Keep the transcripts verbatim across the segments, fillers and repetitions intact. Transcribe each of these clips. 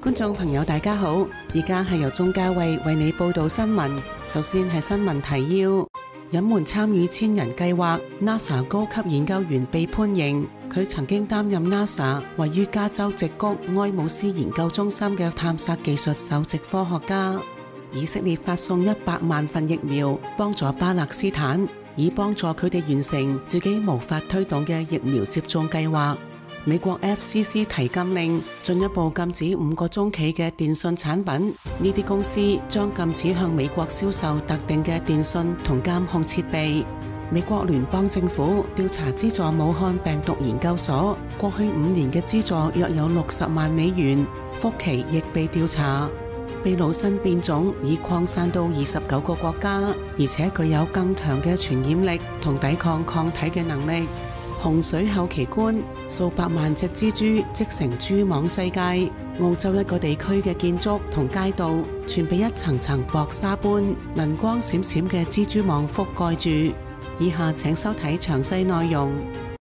觀眾朋友大家好，而家係由鍾嘉慧為你報道新聞。首先係新聞提要：隱瞞參與千人計劃 ，NASA 高級研究員被判刑。佢曾經擔任 NASA 位於加州矽谷埃姆斯研究中心嘅探索技術首席科學家。以色列發送一百萬份疫苗幫助巴勒斯坦，以幫助佢哋完成自己無法推動嘅疫苗接種計劃。美國 F C C 提禁令，進一步禁止五個中企嘅電信產品。呢啲公司將禁止向美國銷售特定嘅電信同監控設備。美國聯邦政府調查資助武漢病毒研究所，過去五年嘅資助約有六十萬美元，復期亦被調查。秘魯新變種已擴散到二十九個國家，而且具有更強嘅傳染力同抵抗抗體嘅能力。洪水後奇觀，數百萬隻蜘蛛織成蛛網世界。澳洲一個地區嘅建築同街道全被一層層薄紗般能光閃閃嘅蜘蛛網覆蓋住。以下請收睇詳細內容。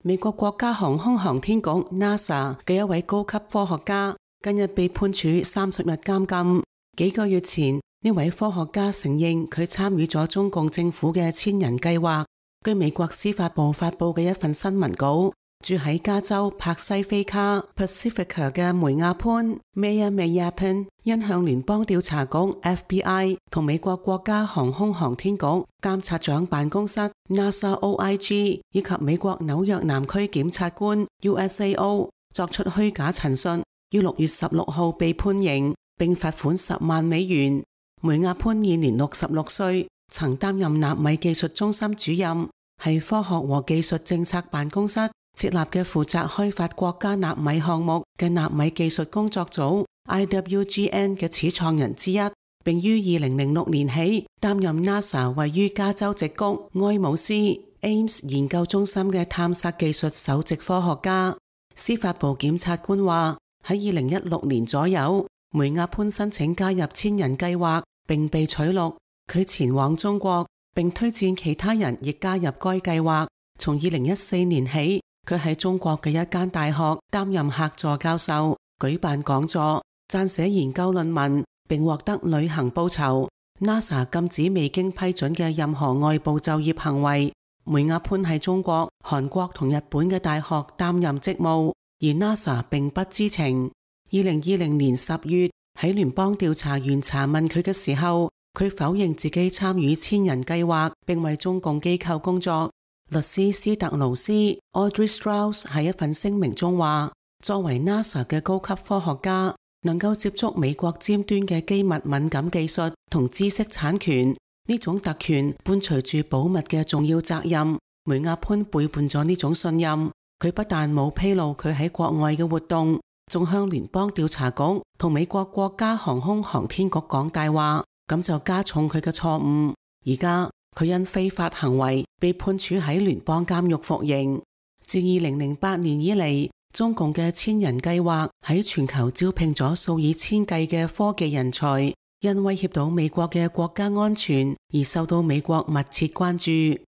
美國國家航空航天局 NASA 嘅一位高級科學家近日被判處三十日監禁。幾個月前，呢位科學家承認佢參與咗中共政府嘅千人計劃。據美國司法部發佈嘅一份新聞稿，住喺加州柏西菲卡 Pacifica 嘅梅亞潘 Maya Mayappan 因向聯邦調查局 F B I 同美國國家航空航天局監察長辦公室 NASA O I G 以及美國紐約南區檢察官 U S A O 作出虛假陳述，於六月十六號被判刑並罰款十萬美元。梅亞潘現年六十六歲。曾擔任納米技術中心主任，係科學和技術政策辦公室設立嘅負責開發國家納米項目嘅納米技術工作組 I W G N 嘅始創人之一，並於二零零六年起擔任 NASA 位於加州矽谷埃姆斯 A I M S 研究中心嘅探索技術首席科學家。司法部檢察官話，喺二零一六年左右，梅亞潘申請加入千人計劃並被取錄。佢前往中國，並推薦其他人亦加入該計劃。從二零一四年起，佢喺中國嘅一間大學擔任客座教授，舉辦講座、撰寫研究論文，並獲得旅行報酬。NASA 禁止未經批准嘅任何外部就業行為。梅亞潘喺中國、韓國同日本嘅大學擔任職務，而 NASA 並不知情。二零二零年十月，喺聯邦調查員查問佢嘅時候，佢否認自己參與千人計劃並為中共機構工作。律師斯特勞斯 Audrey Strauss 喺一份聲明中話，作為 NASA 嘅高級科學家，能夠接觸美國尖端嘅機密敏感技術同知識產權，呢種特權伴隨住保密嘅重要責任。梅亞潘背叛咗呢種信任，佢不但冇披露佢喺國外嘅活動，仲向聯邦調查局同美國國家航空航天局講大話。咁就加重佢嘅錯誤。而家佢因非法行為被判處喺聯邦監獄服刑。自二零零八年以嚟，中共嘅千人計劃喺全球招聘咗數以千計嘅科技人才，因威脅到美國嘅國家安全而受到美國密切關注。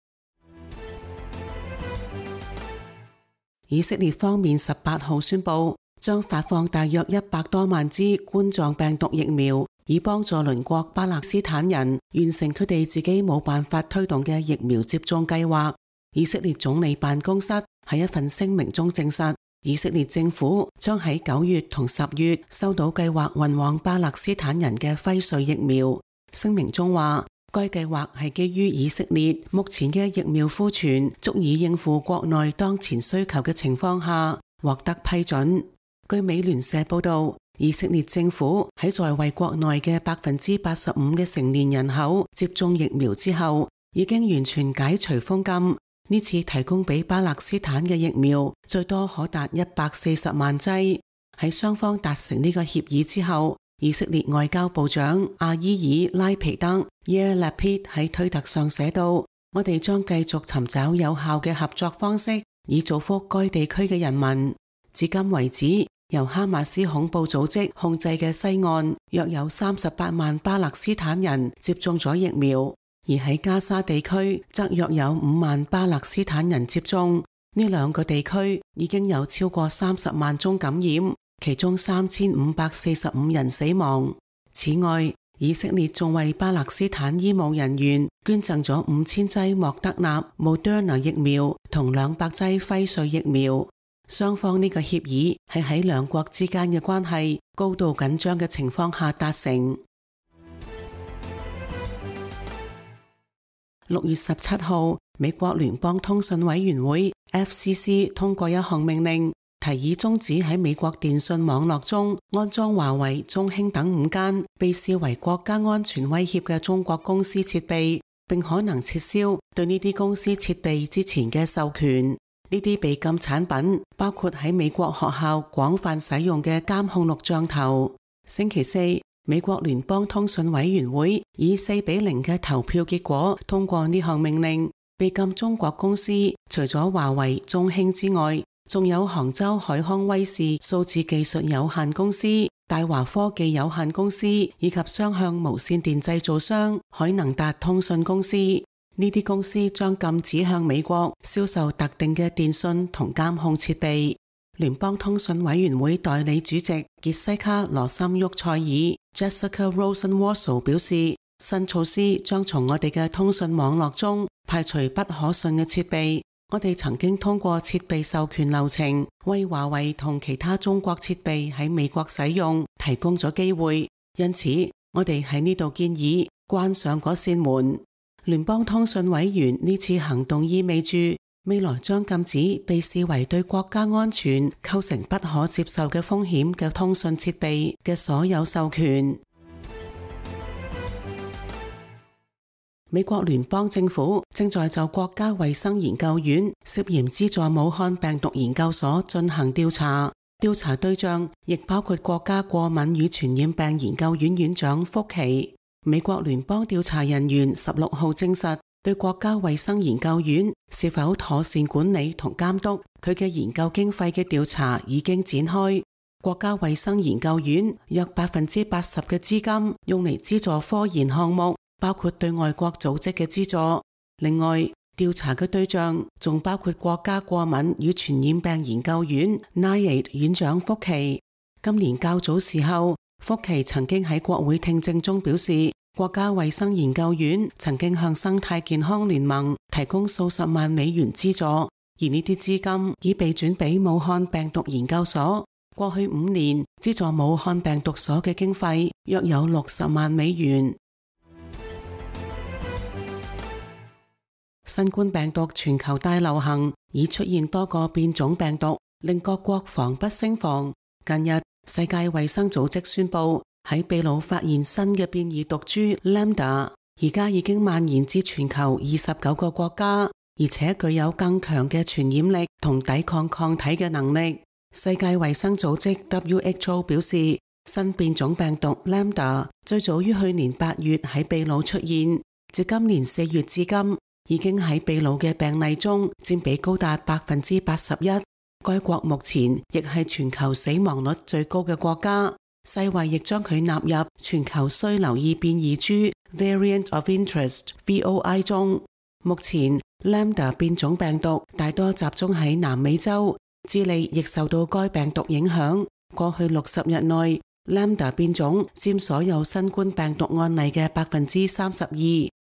以色列方面十八號宣布，將發放大約一百多萬支冠狀病毒疫苗，以幫助鄰國巴勒斯坦人完成佢哋自己冇辦法推動嘅疫苗接種計劃。以色列總理辦公室喺一份聲明中證實，以色列政府將喺九月同十月收到計劃運往巴勒斯坦人嘅輝瑞疫苗。聲明中話，該計劃係基於以色列目前嘅疫苗庫存足以應付國內當前需求嘅情況下獲得批准。據美聯社報道，以色列政府喺在為國內嘅百分之八十五嘅成年人口接種疫苗之後，已經完全解除封禁。呢次提供俾巴勒斯坦嘅疫苗最多可達一百四十萬劑。喺雙方達成呢個協議之後，以色列外交部長阿伊爾拉皮德 Yair Lapid 喺推特上寫道：我哋將繼續尋找有效嘅合作方式，以造福該地區嘅人民。至今為止，由哈馬斯恐怖組織控制嘅西岸約有三十八萬巴勒斯坦人接種咗疫苗，而喺加沙地區則約有五萬巴勒斯坦人接種。呢兩個地區已經有超過三十萬宗感染，其中三千五百四十五人死亡。此外，以色列仲為巴勒斯坦醫務人員捐贈咗五千劑莫德納 Moderna 疫苗同兩百劑輝瑞疫苗。雙方呢個協議係喺兩國之間嘅關係高度緊張嘅情況下達成。六月十七號，美國聯邦通訊委員會 F C C 通過一項命令，提議終止喺美國電信網絡中安裝華為、中興等五間被視為國家安全威脅嘅中國公司設備，並可能撤銷對呢啲公司設備之前嘅授權。呢啲被禁產品包括喺美國學校廣泛使用嘅監控錄像頭。星期四，美國聯邦通訊委員會以四比零嘅投票結果通過呢項命令，被禁中國公司除咗華為、中興之外，仲有杭州海康威視數字技術有限公司、大華科技有限公司以及雙向無線電製造商海能達通訊公司。呢啲公司將禁止向美國銷售特定嘅電訊同監控設備。聯邦通訊委員會代理主席傑西卡羅森沃塞爾 Jessica Rosenworcel 表示，新措施將從我哋嘅通訊網絡中排除不可信嘅設備。我哋曾經通過設備授權流程為華為同其他中國設備喺美國使用提供咗機會，因此我哋喺呢度建議關上嗰扇門。聯邦通訊委員呢次行動意味住未來將禁止被視為對國家安全構成不可接受嘅風險嘅通訊設備嘅所有授權。美國聯邦政府正在就國家衛生研究院涉嫌資助武漢病毒研究所進行調查，調查對象亦包括國家過敏與傳染病研究院院長福奇。美國聯邦調查人員十六號證實，對國家衛生研究院是否妥善管理同監督佢嘅研究經費嘅調查已經展開。國家衛生研究院約百分之八十嘅資金用嚟資助科研項目，包括對外國組織嘅資助。另外，調查嘅對象仲包括國家過敏與傳染病研究院 N I A I D 院長福奇。今年較早時候，福奇曾經喺國會聽證中表示，國家衛生研究院曾經向生態健康聯盟提供數十萬美元資助，而呢啲資金已被轉俾武漢病毒研究所。過去五年資助武漢病毒所嘅經費約有六十萬美元。新冠病毒全球大流行，已出現多個變種病毒，令各國防不勝防。近日，世界衛生組織宣布喺秘魯發現新嘅變異毒株 Lambda， 而家已經蔓延至全球二十九個國家，而且具有更強嘅傳染力同抵抗抗體嘅能力。世界衛生組織 W H O 表示，新變種病毒 Lambda 最早於去年八月喺秘魯出現，自今年四月至今，已經喺秘魯嘅病例中佔比高達百分之八十一。該國目前亦係全球死亡率最高嘅國家，世衛亦將佢納入全球需留意變異株 Variant of Interest V O I 中。目前 Lambda 變種病毒大多集中喺南美洲，智利亦受到該病毒影響。過去六十日內 Lambda 變種佔所有新冠病毒案例嘅百分之三十二。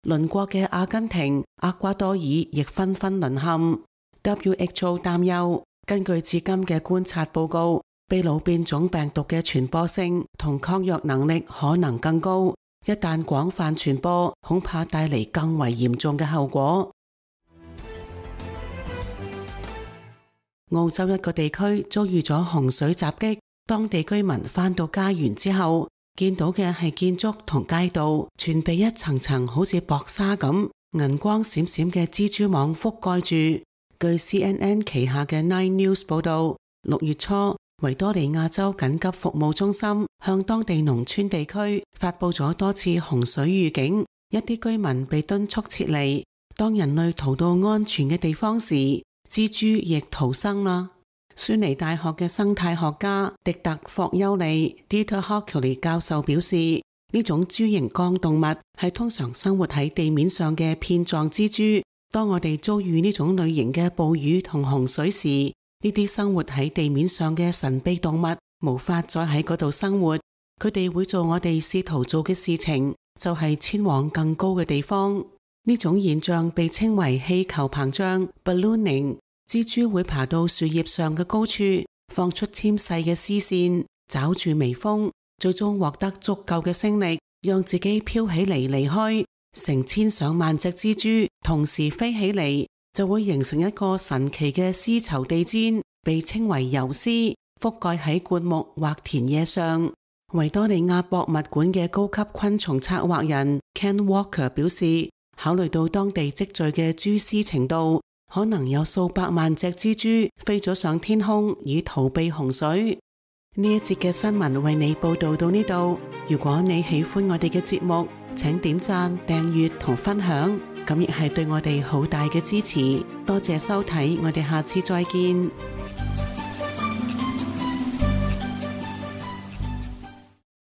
鄰國嘅阿根廷、厄瓜多爾亦紛紛淪陷。W H O 擔憂，根據至今嘅觀察報告，秘魯變種病毒嘅傳播性同抗藥能力可能更高，一旦廣泛傳播，恐怕帶嚟更為嚴重嘅後果。澳洲一個地區遭遇咗洪水襲擊，當地居民返到家園之後，見到嘅係建築同街道全被一層層好似薄紗咁銀光閃閃嘅蜘蛛網覆蓋住。據 C N N 旗下嘅 Nine News 報道，六月初維多利亞州緊急服務中心向當地農村地區發佈咗多次洪水預警，一啲居民被敦促撤離。當人類逃到安全嘅地方時，蜘蛛亦逃生啦。孫尼大學嘅生態學家迪特霍丘利 Dieter Hochuli 教授表示，呢種蛛形綱動物係通常生活喺地面上嘅片狀蜘蛛。當我哋遭遇呢種類型嘅暴雨同洪水時，呢啲生活喺地面上嘅神秘動物無法再喺嗰度生活。佢哋會做我哋試圖做嘅事情，就係遷往更高嘅地方。呢種現象被稱為氣球膨脹 （ballooning）。蜘蛛會爬到樹葉上嘅高處，放出纖細嘅絲線，抓住微風，最終獲得足夠嘅升力，讓自己飄起嚟離開。成千上萬隻蜘蛛同時飛起嚟，就會形成一個神奇嘅絲綢地氈，被稱為游絲，覆蓋喺灌木或田野上。維多利亞博物館嘅高級昆蟲策劃人 Ken Walker 表示，考慮到當地積聚嘅蛛絲程度，可能有數百萬隻蜘蛛飛咗上天空以逃避洪水。呢一節嘅新聞為你報道到呢度。如果你喜歡我哋嘅節目，請點讚、訂閱同分享，咁亦係對我哋好大嘅支持。多謝收睇，我哋下次再見。